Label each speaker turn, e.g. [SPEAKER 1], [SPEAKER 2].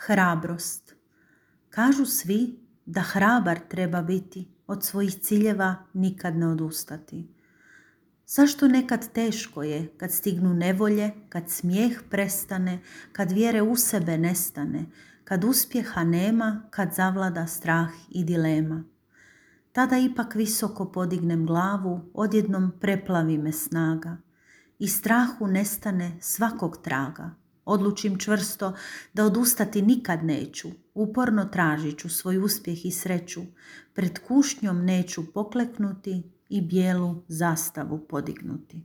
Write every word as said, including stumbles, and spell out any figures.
[SPEAKER 1] Hrabrost. Kažu svi da hrabar treba biti, od svojih ciljeva nikad ne odustati. Zašto nekad teško je kad stignu nevolje, kad smijeh prestane, kad vjere u sebe nestane, kad uspjeha nema, kad zavlada strah i dilema. Tada ipak visoko podignem glavu, odjednom preplavi me snaga i strahu nestane svakog traga. Odlučim čvrsto da odustati nikad neću, uporno tražit ću svoj uspjeh i sreću, pred kušnjom neću pokleknuti i bijelu zastavu podignuti.